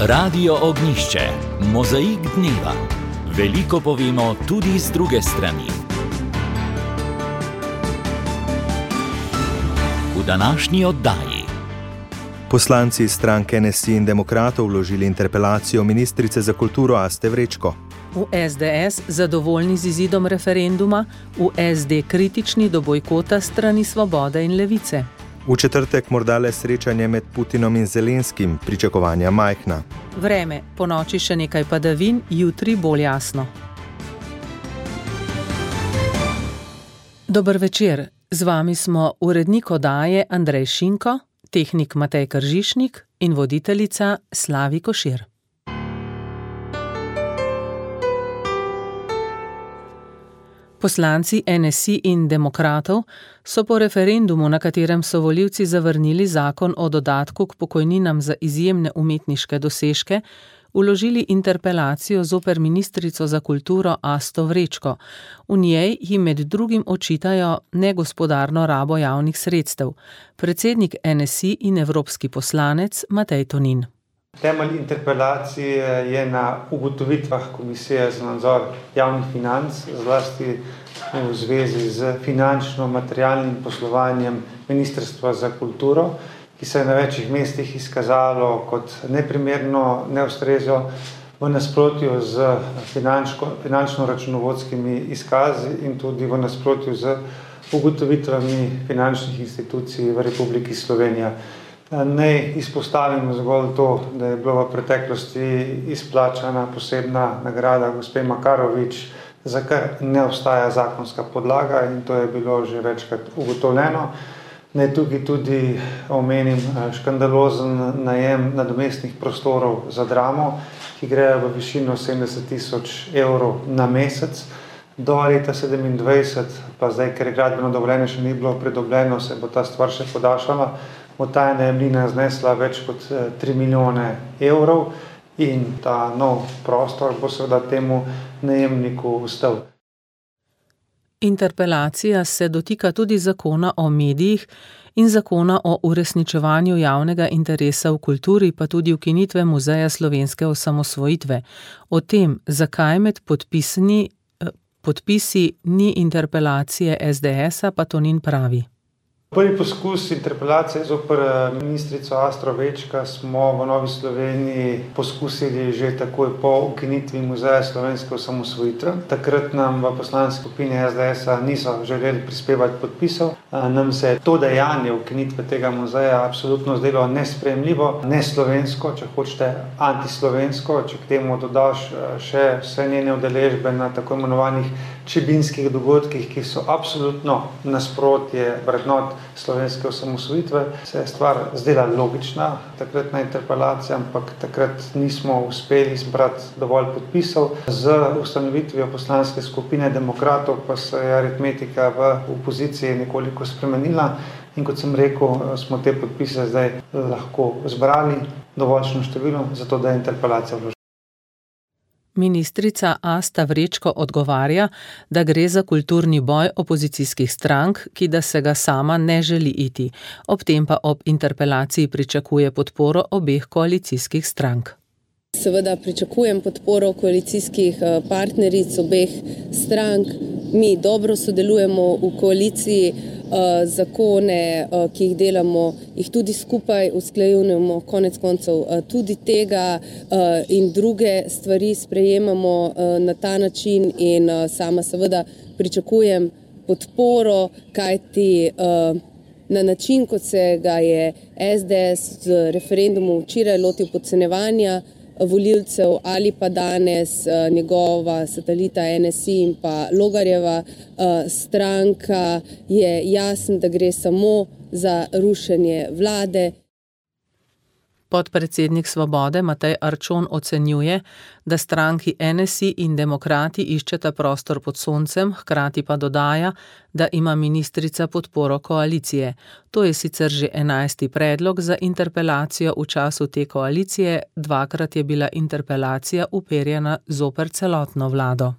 Radio Ognjišče, mozaik dneva. Veliko povemo tudi z druge strani. V današnji oddaji. Poslanci stranke NSI in demokratov vložili interpelacijo ministrice za kulturo Aste Vrečko. V SDS zadovoljni z izidom referenduma, v SD kritični do bojkota strani Svobode in Levice. V četrtek morda le srečanje med Putinom in Zelenskim, pričakovanja majhna. Vreme, ponoči še nekaj padavin, jutri bolj jasno. Dober večer, z vami smo urednik oddaje Andrej Šinko, tehnik Matej Kržišnik in voditeljica Slavi Košir. Poslanci NSI in demokratov so po referendumu, na katerem so volivci zavrnili zakon o dodatku k pokojninam za izjemne umetniške dosežke, vložili interpelacijo zoper ministrico za kulturo Asto Vrečko. V njej jim med drugim očitajo negospodarno rabo javnih sredstev. Predsednik NSI in evropski poslanec Matej Tonin. Temelj interpelacije je na ugotovitvah Komisije za nadzor javnih financ, zlasti v zvezi z finančno-materialnim poslovanjem Ministrstva za kulturo, ki se je na večjih mestih izkazalo kot neprimerno, neustrezno, v nasprotju z finančno-računovodskimi izkazi in tudi v nasprotju z ugotovitvami finančnih institucij v Republiki Slovenija. Naj izpostavim zgolj to, da je bila v preteklosti izplačana posebna nagrada gospe Makarovič, za kar ne obstaja zakonska podlaga in to je bilo že večkrat ugotovljeno. Naj tukaj tudi omenim škandalozen najem nadomestnih prostorov za Dramo, ki grejo v višino 70.000 evrov na mesec. Do leta 2027, pa zdaj, ker je gradbeno dovoljenje še ni bilo pridobljeno, se bo ta stvar še podaljšala. Ta najemnina znesla več kot 3 milijone evrov in ta nov prostor bo seveda temu najemniku ostal. Interpelacija se dotika tudi zakona o medijih in zakona o uresničevanju javnega interesa v kulturi, pa tudi ukinitve Muzeja slovenske osamosvojitve. O tem, zakaj med podpisi ni interpelacije SDS-a, pa Tonin pravi. Prvi poskus interpelacije zoper ministrico Asto Vrečko smo v Novi Sloveniji poskusili že takoj po ukinitvi Muzeja slovenske osamosvojitve. Takrat nam v poslanski skupini SDS-a niso želeli prispevati podpisov. Nam se je to dejanje ukinitve tega muzeja absolutno zdelo nesprejemljivo, neslovensko, če hočete antislovensko, če k temu dodaš še vse njene udeležbe na tako imenovanih čebinskih dogodkih, ki so absolutno nasprotje vrednot slovenske osamosvojitve, se je stvar zdela logična, takratna interpelacija, ampak takrat nismo uspeli zbrati dovolj podpisov. Z ustanovitvijo poslanske skupine demokratov pa se je aritmetika v opoziciji nekoliko spremenila in kot sem rekel, smo te podpise zdaj lahko zbrali dovoljšno število, zato da je interpelacija vložena. Ministrica Asta Vrečko odgovarja, da gre za kulturni boj opozicijskih strank, ki da se ga sama ne želi iti. Ob tem pa ob interpelaciji pričakuje podporo obeh koalicijskih strank. Seveda pričakujem podporo koalicijskih partneric obeh strank. Mi dobro sodelujemo v koaliciji, zakone, ki jih delamo, jih tudi skupaj usklajujemo, konec koncev tudi tega in druge stvari sprejemamo na ta način in sama seveda pričakujem podporo, kajti na način, kot se ga je SDS z referendumom včeraj lotil podcenjevanja volivcev ali pa danes njegova satelita NSI in pa Logarjeva stranka, je jasno, da gre samo za rušenje vlade. Podpredsednik Svobode Matej Arčon ocenjuje, da stranki NSI in demokrati iščeta prostor pod soncem, hkrati pa dodaja, da ima ministrica podporo koalicije. To je sicer že 11. predlog za interpelacijo v času te koalicije, dvakrat je bila interpelacija uperjena zoper celotno vlado.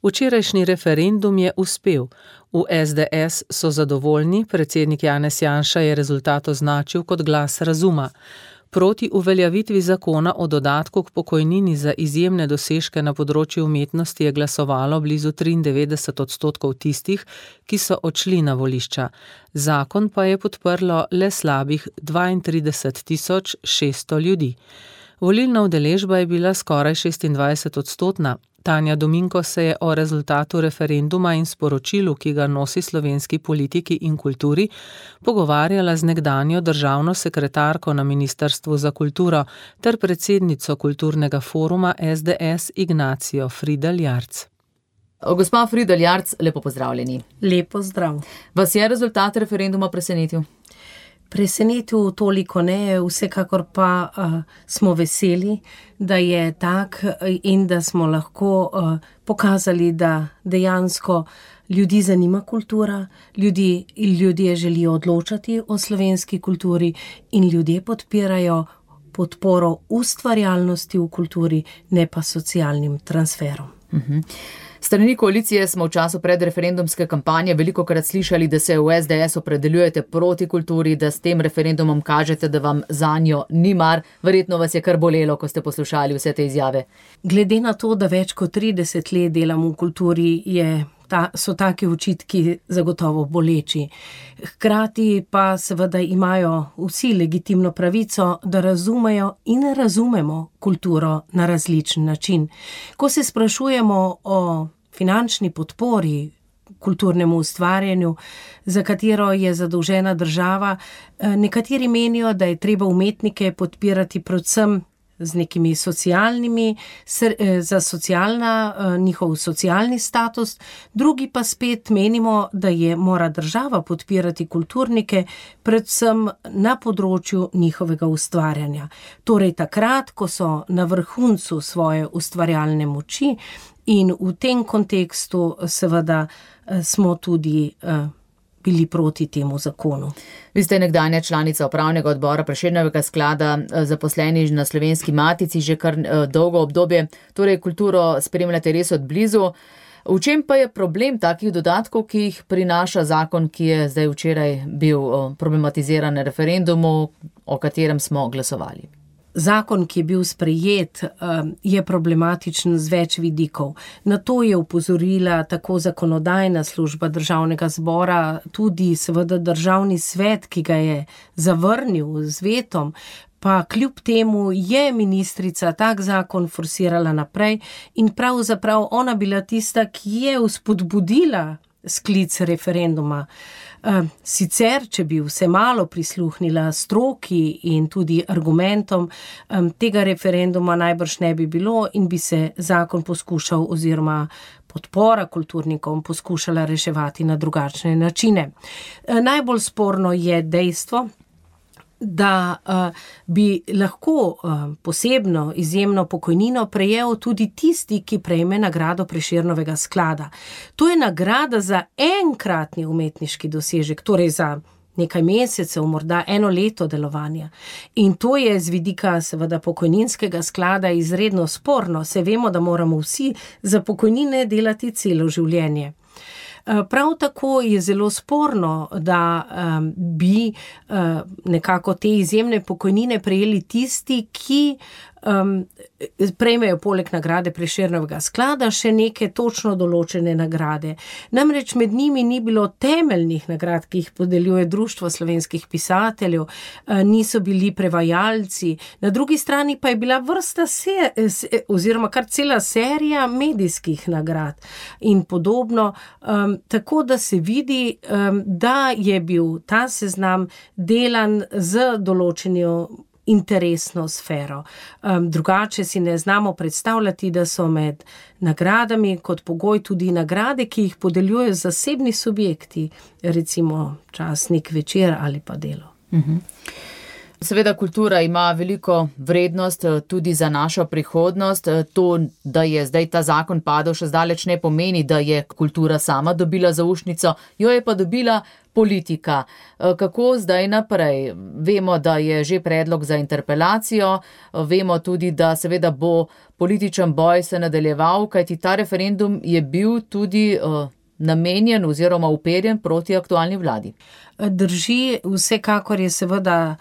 Včerajšnji referendum je uspel. V SDS so zadovoljni, predsednik Janez Janša je rezultat označil kot glas razuma. Proti uveljavitvi zakona o dodatku k pokojnini za izjemne dosežke na področju umetnosti je glasovalo blizu 93% tistih, ki so odšli na volišča. Zakon pa je podprlo le slabih 32.600 ljudi. Volilna udeležba je bila skoraj 26%. Tanja Dominko se je o rezultatu referenduma in sporočilu, ki ga nosi slovenski politiki in kulturi, pogovarjala z nekdanjo državno sekretarko na Ministrstvu za kulturo ter predsednico kulturnega foruma SDS Ignacijo Fridl Jarc. Gospa Fridl Jarc, lepo pozdravljeni. Lepo zdrav. Vas je rezultat referenduma presenetil? Presenetil toliko ne, vsekakor pa smo veseli, da je tak in da smo lahko pokazali, da dejansko ljudi zanima kultura, ljudje želijo odločati o slovenski kulturi in ljudje podpirajo podporo ustvarjalnosti v kulturi, ne pa socialnim transferom. Strani koalicije smo v času predreferendumske kampanje velikokrat slišali, da se v SDS opredeljujete proti kulturi, da s tem referendumom kažete, da vam zanjo ni mar. Verjetno vas je kar bolelo, ko ste poslušali vse te izjave. Glede na to, da več kot 30 let delam v kulturi, so taki očitki zagotovo boleči. Hkrati pa seveda imajo vsi legitimno pravico, da razumejo in razumemo kulturo na različen način. Ko se sprašujemo o finančni podpori kulturnemu ustvarjanju, za katero je zadolžena država, nekateri menijo, da je treba umetnike podpirati predvsem z nekimi socialnimi, za njihov socialni status, drugi pa spet menimo, da mora država podpirati kulturnike predvsem na področju njihovega ustvarjanja. Torej takrat, ko so na vrhuncu svoje ustvarjalne moči in v tem kontekstu seveda smo tudi bili proti temu zakonu. Vi ste nekdanja članica upravnega odbora Prešernovega sklada, zaposleni na Slovenski matici že kar dolgo obdobje, torej kulturo spremljate res od blizu. V čem pa je problem takih dodatkov, ki jih prinaša zakon, ki je zdaj včeraj bil problematiziran na referendumu, o katerem smo glasovali? Zakon, ki je bil sprejet, je problematičen z več vidikov. Na to je opozorila tako zakonodajna služba Državnega zbora, tudi seveda Državni svet, ki ga je zavrnil z vetom, pa kljub temu je ministrica tak zakon forsirala naprej in pravzaprav ona bila tista, ki je vzpodbudila sklic referenduma. Sicer, če bi vse malo prisluhnila stroki in tudi argumentom, tega referenduma najbrž ne bi bilo in bi se zakon poskušal oziroma podpora kulturnikom poskušala reševati na drugačne načine. Najbolj sporno je dejstvo, da bi lahko posebno izjemno pokojnino prejel tudi tisti, ki prejme nagrado Prešernovega sklada. To je nagrada za enkratni umetniški dosežek, torej za nekaj mesecev, morda eno leto delovanja. In to je z vidika seveda pokojninskega sklada izredno sporno. Se vemo, da moramo vsi za pokojnine delati celo življenje. Prav tako je zelo sporno, da bi nekako te izjemne pokojnine prejeli tisti, ki prejmejo poleg nagrade Prešernovega sklada še neke točno določene nagrade. Namreč med njimi ni bilo temeljnih nagrad, ki jih podeljuje Društvo slovenskih pisateljev, niso bili prevajalci, na drugi strani pa je bila vrsta oziroma kar cela serija medijskih nagrad in podobno, tako da se vidi, da je bil ta seznam delan z določenjo interesno sfero. Drugače si ne znamo predstavljati, da so med nagradami kot pogoj tudi nagrade, ki jih podeljujejo zasebni subjekti, recimo časnik, Večer ali pa Delo. Seveda kultura ima veliko vrednost tudi za našo prihodnost. To, da je zdaj ta zakon padel, še zdaleč ne pomeni, da je kultura sama dobila zaušnico, jo je pa dobila politika. Kako zdaj naprej? Vemo, da je že predlog za interpelacijo, vemo tudi, da seveda bo političen boj se nadaljeval, kajti ta referendum je bil tudi namenjen oziroma uperjen proti aktualni vladi. Drži, vsekakor je seveda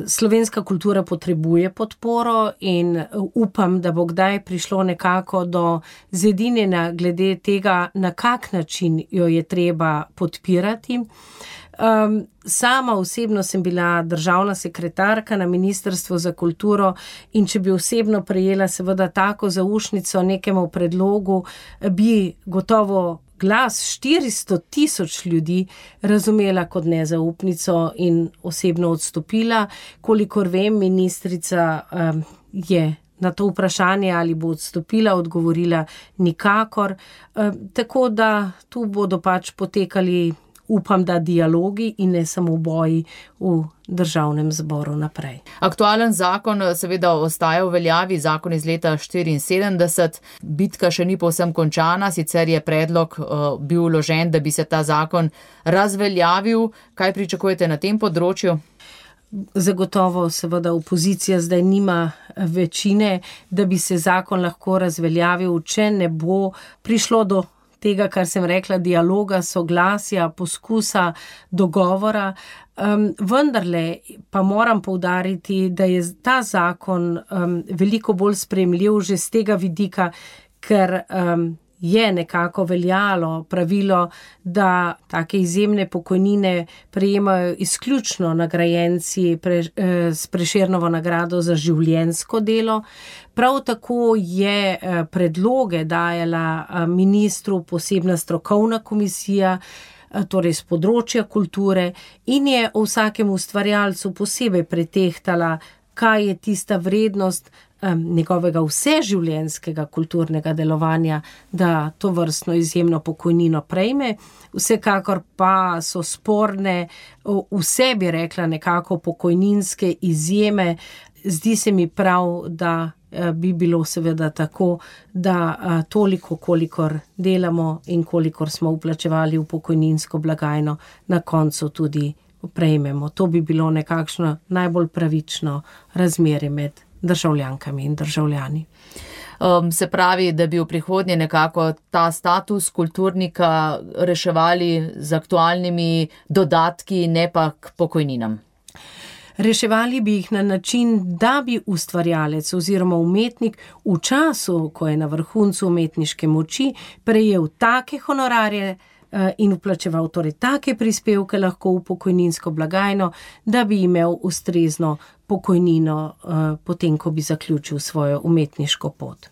Slovenska kultura potrebuje podporo in upam, da bo kdaj prišlo nekako do zedinjenja glede tega, na kak način jo je treba podpirati. Sama osebno sem bila državna sekretarka na Ministrstvu za kulturo in če bi osebno prejela seveda tako zaušnico nekemu predlogu, bi gotovo glas 400,000 ljudi razumela kot nezaupnico in osebno odstopila. Kolikor vem, ministrica je na to vprašanje, ali bo odstopila, odgovorila nikakor. Tako da tu bodo pač potekali, upam, da dialogi in ne samo boji v državnem zboru naprej. Aktualen zakon seveda ostaja v veljavi, zakon iz leta 1974. Bitka še ni povsem končana, sicer je predlog bil vložen, da bi se ta zakon razveljavil. Kaj pričakujete na tem področju? Zagotovo seveda opozicija zdaj nima večine, da bi se zakon lahko razveljavil, če ne bo prišlo do tega, kar sem rekla, dialoga, soglasja, poskusa, dogovora. Vendarle pa moram poudariti, da je ta zakon veliko bolj sprejemljiv že z tega vidika, ker je nekako veljalo pravilo, da take izjemne pokojnine prejemajo izključno nagrajenci s Prešernovo nagrado za življenjsko delo. Prav tako je predloge dajala ministru posebna strokovna komisija, torej z področja kulture, in je o vsakem ustvarjalcu posebej pretehtala, kaj je tista vrednost njegovega vseživljenjskega kulturnega delovanja, da to vrstno izjemno pokojnino prejme. Vsekakor pa so sporne vse, bi rekla, nekako pokojninske izjeme. Zdi se mi prav, da bi bilo seveda tako, da toliko, kolikor delamo in kolikor smo vplačevali v pokojninsko blagajno, na koncu tudi prejmemo. To bi bilo nekakšno najbolj pravično razmerje med državljankami in državljani. Se pravi, da bi v prihodnje nekako ta status kulturnika reševali z aktualnimi dodatki, ne pa k pokojninam. Reševali bi jih na način, da bi ustvarjalec oziroma umetnik v času, ko je na vrhuncu umetniške moči, prejel take honorarje in vplačeval torej take prispevke lahko v pokojninsko blagajno, da bi imel ustrezno pokojnino potem, ko bi zaključil svojo umetniško pot.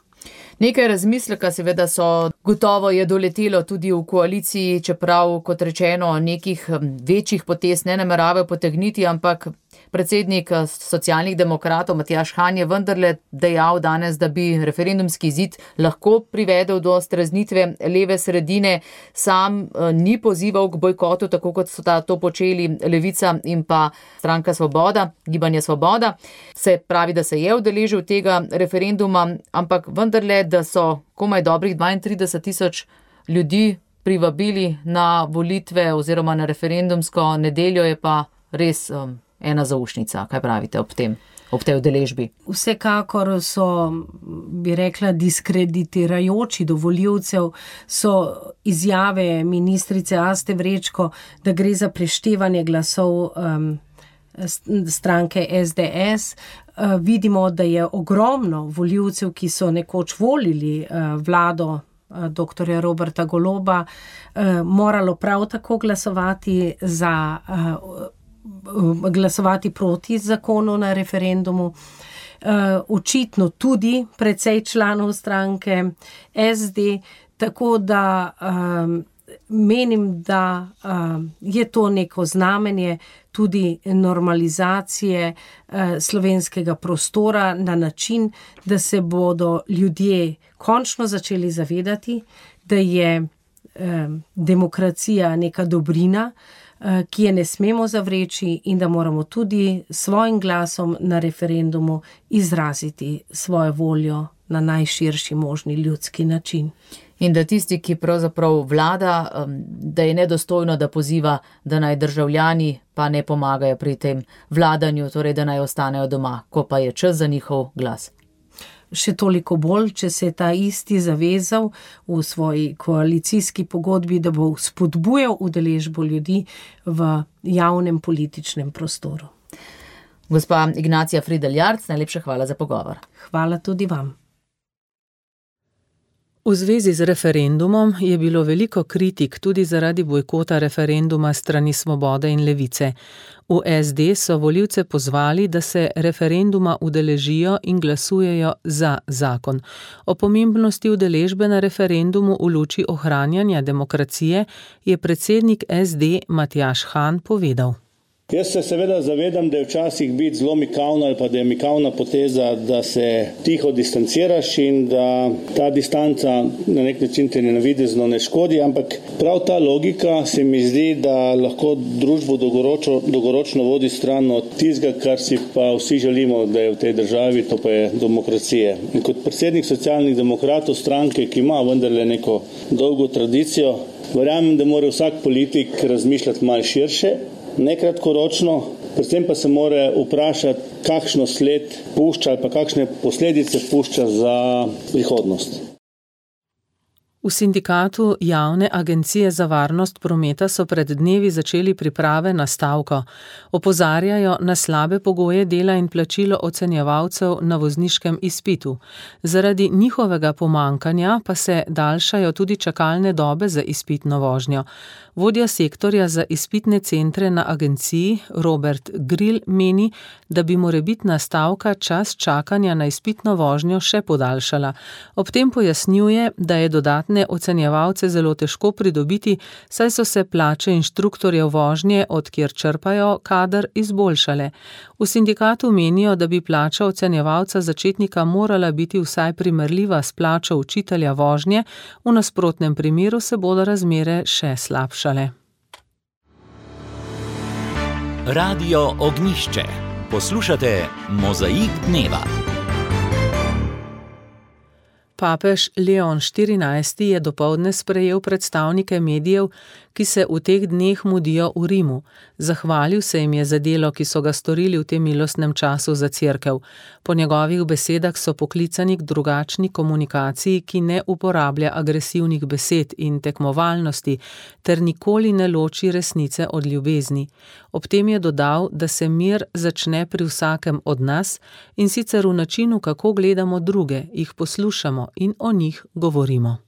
Nekaj razmisleka seveda so, gotovo je doletelo tudi v koaliciji, čeprav, kot rečeno, nekih večjih potez ne nameravajo potegniti, ampak predsednik Socialnih demokratov Matjaž Han je vendarle dejal danes, da bi referendumski izid lahko privedel do streznitve leve sredine. Sam ni pozival k bojkotu, tako kot so to počeli Levica in pa stranka Svoboda, Gibanje Svoboda. Se pravi, da se je udeležil tega referenduma, ampak vendarle, da so komaj dobrih 32,000 ljudi privabili na volitve oziroma na referendumsko nedeljo, je pa res ena zaušnica. Kaj pravite ob tej udeležbi? Vsekakor so, bi rekla, diskreditirajoči do volivcev so izjave ministrice Aste Vrečko, da gre za preštevanje glasov stranke SDS. Vidimo, da je ogromno volivcev, ki so nekoč volili vlado dr. Roberta Goloba, moralo prav tako glasovati proti zakonu na referendumu. Očitno tudi precej članov stranke SD, tako da menim, da je to neko znamenje tudi normalizacije slovenskega prostora na način, da se bodo ljudje končno začeli zavedati, da je demokracija neka dobrina, ki je ne smemo zavreči, in da moramo tudi svojim glasom na referendumu izraziti svojo voljo na najširši možni ljudski način. In da tisti, ki pravzaprav vlada, da je nedostojno, da poziva, da naj državljani pa ne pomagajo pri tem vladanju, torej da naj ostanejo doma, ko pa je čas za njihov glas. Še toliko bolj, če se je ta isti zavezal v svoji koalicijski pogodbi, da bo spodbujal udeležbo ljudi v javnem političnem prostoru. Gospa Ignacija Frideljarc, najlepša hvala za pogovor. Hvala tudi vam. V zvezi z referendumom je bilo veliko kritik tudi zaradi bojkota referenduma strani Svobode in Levice. V SD so volivce pozvali, da se referenduma udeležijo in glasujejo za zakon. O pomembnosti udeležbe na referendumu v luči ohranjanja demokracije je predsednik SD Matjaž Han povedal. Jaz se seveda zavedam, da je včasih biti zelo mikavno ali pa da je mikavna poteza, da se tiho distanciraš in da ta distanca na nek način te navidezno ne škodi, ampak prav ta logika se mi zdi, da lahko družbo dolgoročno vodi stran od tistega, kar si pa vsi želimo, da je v tej državi, to pa je demokracije. In kot predsednik Socialnih demokratov, stranke, ki ima vendarle neko dolgo tradicijo, verjamem, da mora vsak politik razmišljati malo širše, ne kratkoročno, predvsem pa se mora vprašati, kakšno sled pušča ali pa kakšne posledice pušča za prihodnost. V sindikatu Javne agencije za varnost prometa so pred dnevi začeli priprave na stavko. Opozarjajo na slabe pogoje dela in plačilo ocenjevalcev na vozniškem izpitu. Zaradi njihovega pomankanja pa se daljšajo tudi čakalne dobe za izpitno vožnjo. Vodja sektorja za izpitne centre na agenciji Robert Grill meni, da bi morebitna stavka čas čakanja na izpitno vožnjo še podaljšala. Ob tem pojasnjuje, da je dodatne ocenjevalce zelo težko pridobiti, saj so se plače inštruktorjev vožnje, od kjer črpajo kader, izboljšale. V sindikatu menijo, da bi plača ocenjevalca začetnika morala biti vsaj primerljiva s plačo učitelja vožnje, v nasprotnem primeru se bodo razmere še slabšale. Radio Ognjišče. Poslušate Mozaik dneva. Papež Leon XIV je dopoldne sprejel predstavnike medijev, ki se v teh dneh mudijo v Rimu. Zahvalil se jim je za delo, ki so ga storili v tem milostnem času za cerkev. Po njegovih besedah so poklicani k drugačni komunikaciji, ki ne uporablja agresivnih besed in tekmovalnosti, ter nikoli ne loči resnice od ljubezni. Ob tem je dodal, da se mir začne pri vsakem od nas, in sicer v načinu, kako gledamo druge, jih poslušamo in o njih govorimo.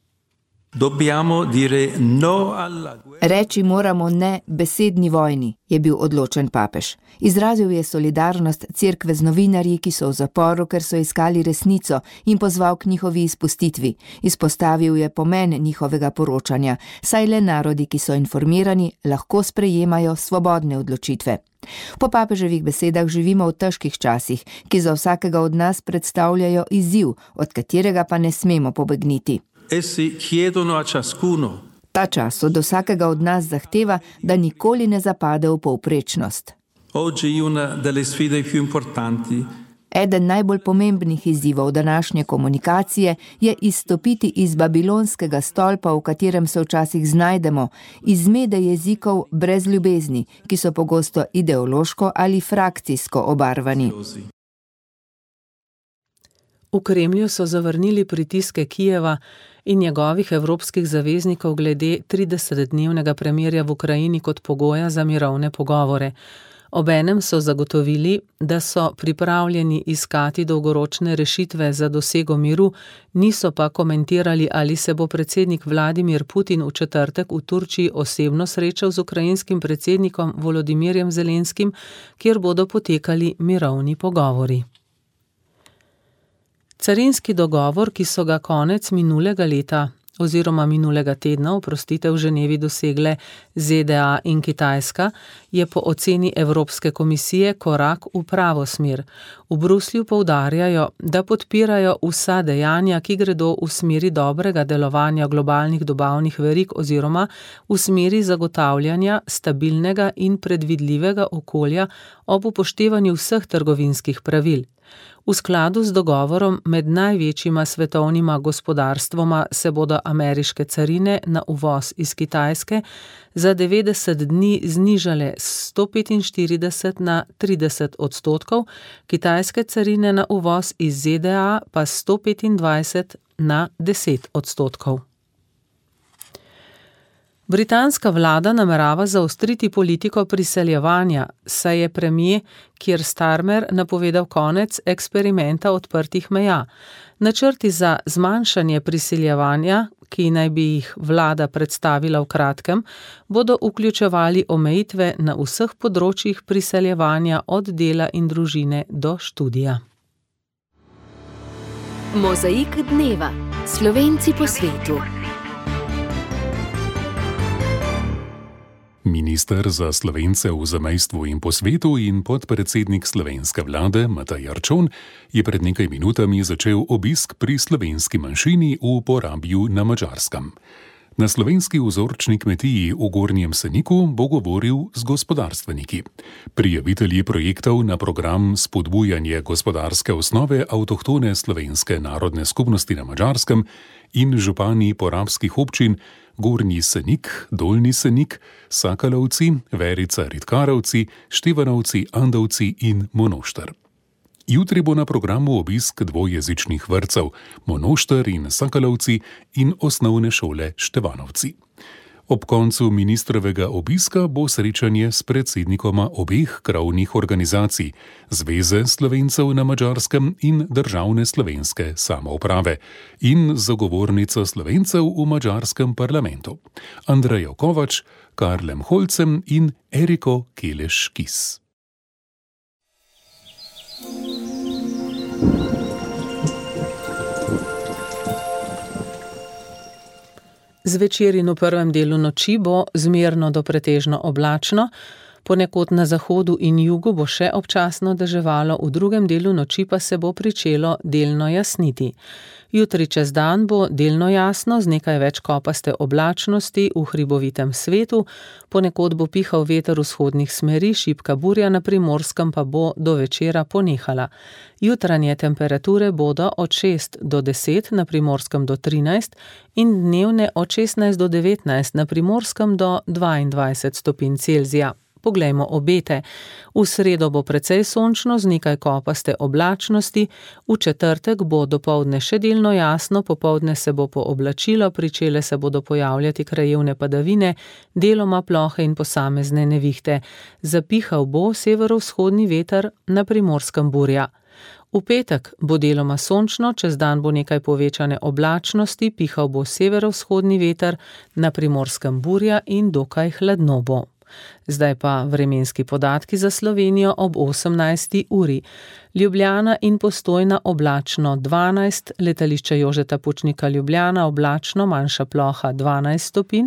Reči moramo ne besedni vojni, je bil odločen papež. Izrazil je solidarnost cerkve z novinarji, ki so v zaporu, ker so iskali resnico, in pozval k njihovi izpustitvi. Izpostavil je pomen njihovega poročanja, saj le narodi, ki so informirani, lahko sprejemajo svobodne odločitve. Po papeževih besedah živimo v težkih časih, ki za vsakega od nas predstavljajo izziv, od katerega pa ne smemo pobegniti. Ta čas od vsakega od nas zahteva, da nikoli ne zapade v povprečnost. Eden najbolj pomembnih izzivov današnje komunikacije je izstopiti iz babilonskega stolpa, v katerem se včasih znajdemo, iz zmede jezikov brez ljubezni, ki so pogosto ideološko ali frakcijsko obarvani. V Kremlju so zavrnili pritiske Kijeva in njegovih evropskih zaveznikov glede 30-dnevnega premirja v Ukrajini kot pogoja za mirovne pogovore. Obenem so zagotovili, da so pripravljeni iskati dolgoročne rešitve za dosego miru, niso pa komentirali, ali se bo predsednik Vladimir Putin v četrtek v Turčiji osebno srečal z ukrajinskim predsednikom Volodimirjem Zelenskim, kjer bodo potekali mirovni pogovori. Carinski dogovor, ki so ga konec minulega leta oziroma minulega tedna, v Ženevi dosegle ZDA in Kitajska, je po oceni Evropske komisije korak v pravo smer. V Bruslju poudarjajo, da podpirajo vsa dejanja, ki gredo v smeri dobrega delovanja globalnih dobavnih verig oziroma v smeri zagotavljanja stabilnega in predvidljivega okolja ob upoštevanju vseh trgovinskih pravil. V skladu z dogovorom med največjima svetovnima gospodarstvoma se bodo ameriške carine na uvoz iz Kitajske za 90 dni znižale s 145 na 30%, kitajske carine na uvoz iz ZDA pa s 125 na 10%. Britanska vlada namerava zaostriti politiko priseljevanja, saj je premier Keir Starmer napovedal konec eksperimenta odprtih meja. Načrti za zmanjšanje priseljevanja, ki naj bi jih vlada predstavila v kratkem, bodo vključevali omejitve na vseh področjih priseljevanja od dela in družine do študija. Mozaik dneva. Slovenci po svetu. Minister za Slovence v zamejstvu in po svetu in podpredsednik slovenske vlade Matej Arčon je pred nekaj minutami začel obisk pri slovenski manjšini v Porabju na Madžarskem. Na slovenski vzorčni kmetiji v Gornjem Seniku bo govoril z gospodarstveniki. Prijavitelji projektov na program Spodbujanje gospodarske osnove avtohtone slovenske narodne skupnosti na Madžarskem in župani porabskih občin Gornji Senik, Dolnji Senik, Sakalovci, Verica Ritkarovci, Števanovci, Andovci in Monošter. Jutri bo na programu obisk dvojezičnih vrtcev Monošter in Sakalovci in osnovne šole Števanovci. Ob koncu ministrovega obiska bo srečanje s predsednikoma obeh krovnih organizacij, Zveze Slovencev na Madžarskem in Državne slovenske samouprave in zagovornico Slovencev v madžarskem parlamentu, Andrejo Kovač, Karlem Holcem in Eriko Keleš-Kis. Zvečer in v prvem delu noči bo zmerno do pretežno oblačno, ponekod na zahodu in jugu bo še občasno deževalo, v drugem delu noči pa se bo pričelo delno jasniti. Jutri čez dan bo delno jasno z nekaj več kopaste oblačnosti v hribovitem svetu, ponekod bo pihal veter vzhodnih smeri, šibka burja na Primorskem pa bo do večera ponehala. Jutranje temperature bodo od 6 do 10, na Primorskem do 13 in dnevne od 16 do 19, na Primorskem do 22 stopinj Celzija. Poglejmo obete. V sredo bo precej sončno z nekaj kopaste oblačnosti, v četrtek bo dopoldne še delno jasno, popoldne se bo pooblačilo, pričele se bodo pojavljati krajevne padavine, deloma plohe in posamezne nevihte. Zapihal bo severovzhodni veter, na Primorskem burja. V petek bo deloma sončno, čez dan bo nekaj povečane oblačnosti, pihal bo severovzhodni veter, na Primorskem burja in dokaj hladno bo. Zdaj pa vremenski podatki za Slovenijo ob 18. uri. Ljubljana in Postojna oblačno 12, letališče Jožeta Pučnika Ljubljana oblačno, manjša ploha 12 stopinj,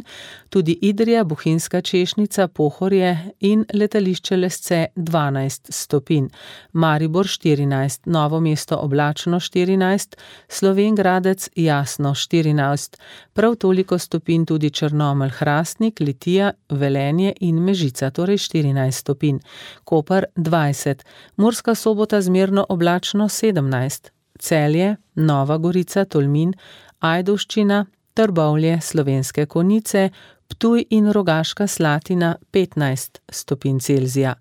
tudi Idrija, Bohinjska Češnica, Pohorje in letališče Lesce 12 stopinj, Maribor 14, Novo mesto oblačno 14, Slovenj Gradec jasno 14, prav toliko stopinj tudi Črnomelj, Hrastnik, Litija, Velenje in Mežica, torej 14 stopinj, Koper 20, Murska Sobota zmerno oblačno 17, Celje, Nova Gorica, Tolmin, Ajdovščina, Trbovlje, Slovenske Konjice, Ptuj in Rogaška Slatina 15 stopinj Celzija.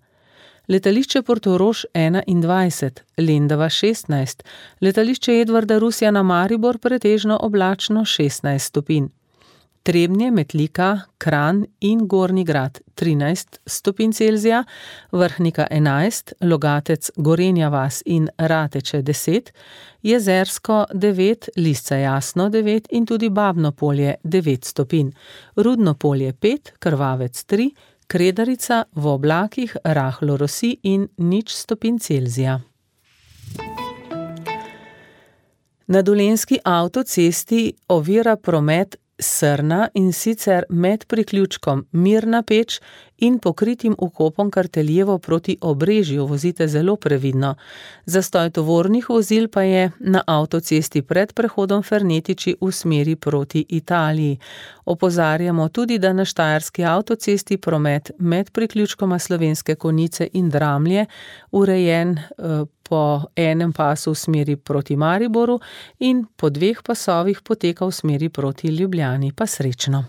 Letališče Portorož 21, Lendava 16, letališče Edvarda Rusjana Maribor pretežno oblačno 16 stopinj. Trebnje, Metlika, Kranj in Gornji Grad 13 stopinj Celzija, Vrhnika 11, Logatec, Gorenja vas in Rateče 10, Jezersko 9, Lisca Jasno 9 in tudi Babno Polje 9 stopinj, Rudno Polje 5, Krvavec 3, Kredarica v oblakih rahlo rosi in 0 stopinj Celzija. Na Dolenjski avtocesti ovira promet srna, in sicer med priključkom Mirna Peč in pokritim vkopom Karteljevo proti Obrežju. Vozite zelo previdno. Zastoj tovornih vozil pa je na avtocesti pred prehodom Fernetiči v smeri proti Italiji. Opozarjamo tudi, da na štajerski avtocesti promet med priključkoma Slovenske Konjice in Dramlje urejen po enem pasu v smeri proti Mariboru in po 2 pasovih poteka v smeri proti Ljubljani. Pa srečno.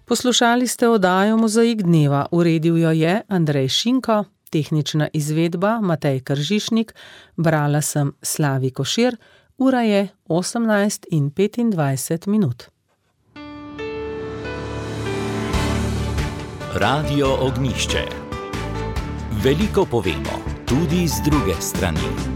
Poslušali ste oddajo Mozaik dneva, uredil jo je Andrej Šinko, tehnična izvedba Matej Kržišnik, brala sem Slavi Košir, ura je 18:25. Radio Ognjišče. Veliko povemo, tudi z druge strani.